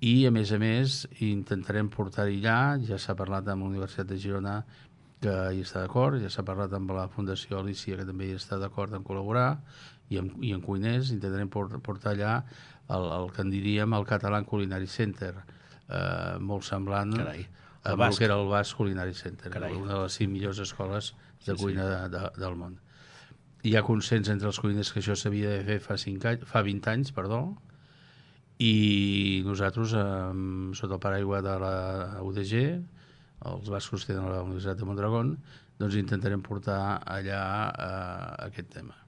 i a més intentarem portar-hi allà, ja s'ha parlat amb la Universitat de Girona que hi està d'acord, ja s'ha parlat amb la Fundació Alícia que també hi està d'acord en col·laborar, i en cuiners intentarem portar allà el que en diríem el Catalan Culinary Center, molt semblant a el que era el Basc Culinary Center, una de les 5 millors escoles de cuina del món. Hi ha consens entre els cuiners que això s'havia de fer fa 20 anys, i nosaltres, sota el paraigua de la UDG, els bascos tenen la Universitat de Mondragón, doncs intentarem portar allà aquest tema.